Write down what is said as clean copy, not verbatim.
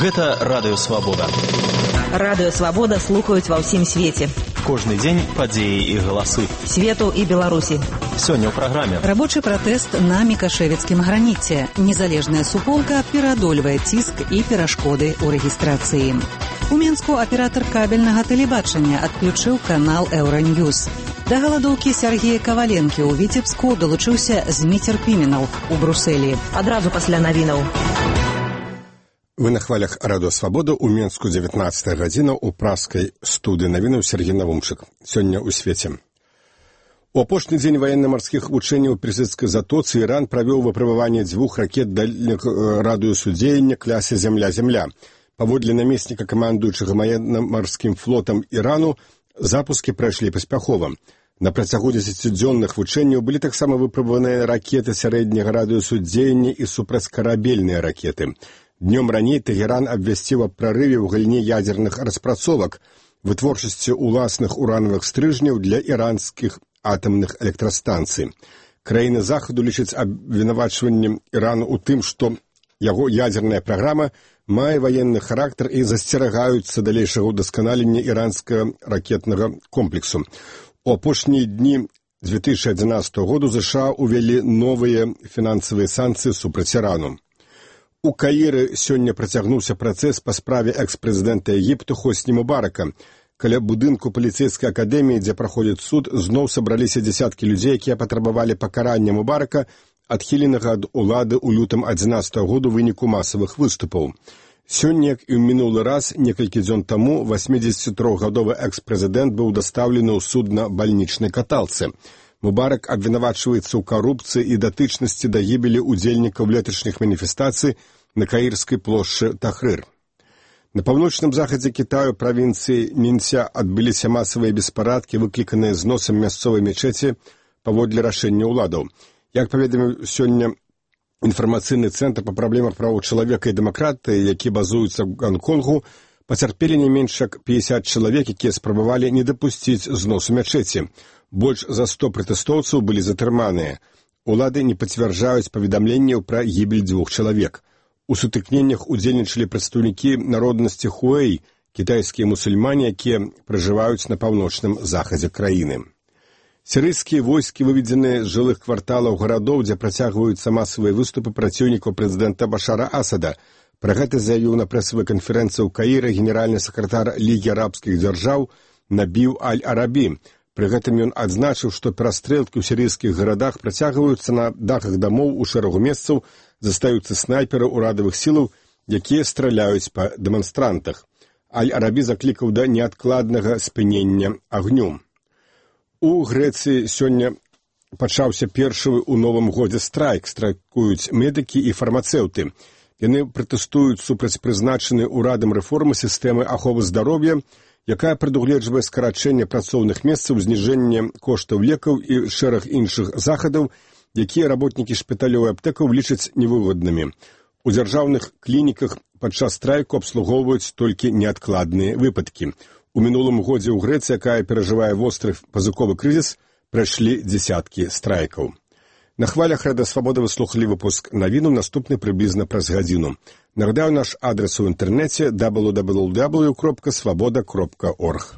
Гэта Радыё Свабода. Радыё Свабода слухаюць ва ўсім свеце. Кожны дзень падзеі і галасы. Свету і Беларусі. Сёння ў праграме. Рабочы пратэст на мікашэвіцкім граніце. Незалежная суполка пераадольвае ціск і перашкоды ў рэгістрацыі. У Мінску аператар кабельнага тэлебачання адключыў канал Еўраньюз. Да галадоўкі Сергея Каваленкі ў Віцебску далучыўся Зміцер Піменаў у Брусэлі. Адразу пасля навінаў. Вы на хвалях Радыё Свабода, у Мінску 19 гадзіна, у праскай студыі навінаў Сергей Навумчык. Сёння ў свеце. У апошні дзень ваенна-марскіх вучэнняў ў Персідскай затоцы Іран правёў выпрабаванне 2 ракет дальняга радыусу дзеяння класе «Зямля-Зямля». Паводле намесніка камандуючага ваенна-марскім флотам Ірану, запускі прайшлі паспяхова. На працягу 10-дзённых вучэнняў былі таксама выпрабаваныя ракеты сярэдняга радыусу дзеяння і супрацькарабельныя ракеты. Днём раней Тэгеран абвясціў аб прарыве ў галіне ядзерных распрацовак, вытворчасці ўласных уранавых стрыжняў для іранскіх атамных электрастанцый. Краіны захаду лічаць абвінавачваннем Ірану ў тым, што яго ядзерная праграма мае ваенны характар і засцерагаюцца далейшага ўдасканалення іранскага ракетнага комплексу. У апошнія дні 2011 году США увялі новыя фінансавыя санкцыі супраць Ірану. У Каіры сёння працягнуўся працэс па справе экс-прэзідэнта Егіпту Хосні Мубарака. Каля будынку паліцэйскай акадэміі, дзе праходзіць суд, зноў сабраліся дзесяткі людзей, якія патрабавалі пакарання Мубарака, адхіленага ад улады ў лютым 2011 году ў выніку масавых выступаў. Сёння, як і ў мінулы раз, некалькі дзён таму, 83-гадовы экс-прэзідэнт быў дастаўлены ў суд на бальнічнай каталцы. Мубарак абвінавачваецца ў карупцыі і датычнасці да гібелі ўдзельнікаў леташніх маніфестацый на каірскай плошчы Тахрыр. На паўночным захадзе Кітаю, правінцыі Мінся, адбыліся масавыя беспарадкі, выкліканыя зносам мясцовай мечеці паводле рашэння ўладаў. Як паведаміў сёння інфармацыйны цэнтр па праблемах правоў чалавека і дэмакратыі, які базуецца ў Ганконгу, пацярпелі не менш як 50 чалавек, якія спрабавалі не дапусціць зносу мячэці. Больш за 100 пратэстоўцаў былі затрыманыя. Улады не пацвярджаюць паведамленняў пра гібель 2 чалавек. У сутыкненнях удзельнічалі прадстаўнікі народнасці Хуэй, кітайскія мусульмане, якія пражываюць на паўночным захадзе краіны. Сірыйскія войскі выведзены з жылых кварталаў гарадоў, дзе працягваюцца масавыя выступы праціўнікаў прэзідэнта Башара Асада. Пра гэта заявіў на прэсавай канферэнцыі ў Каіры генеральны сакратар Лігі арабскіх дзяржаў Набіў Аль-Арабі. Пры гэтым ён адзначыў, што перастрэлкі ў сірыйскіх гарадах працягваюцца на дахах дамоў у шэрагу месцаў, застаюцца снайперы ўрадавых сілаў, якія страляюць па дэманстрантах. Аль-Арабі заклікаў да неадкладнага спынення агню. У Грэцыі сёння пачаўся першы ў новым годзе страйк. Страйкуюць медыкі і фармацэўты. Яны пратэстуюць супраць прызначанай урадам рэформы сістэмы аховы здароўя, якая прадугледжвае скарачэнне працоўных месцаў, зніжэнне коштаў лекаў і шэраг іншых захадаў, якія работнікі шпіталёў і аптэкаў лічаць невыгоднымі. У дзяржаўных клініках падчас страйку абслугоўваюць толькі неадкладныя выпадкі. У мінулым годзе ў Грэцыі, якая перажывае востры пазыковы крызіс, прайшлі дзесяткі страйкаў. На хвалях Радыё Свабода вы слухалі выпуск навінаў, наступны прыблізна праз гадзіну. Нагадаю, наш адрес у інтэрнэце www.swaboda.org.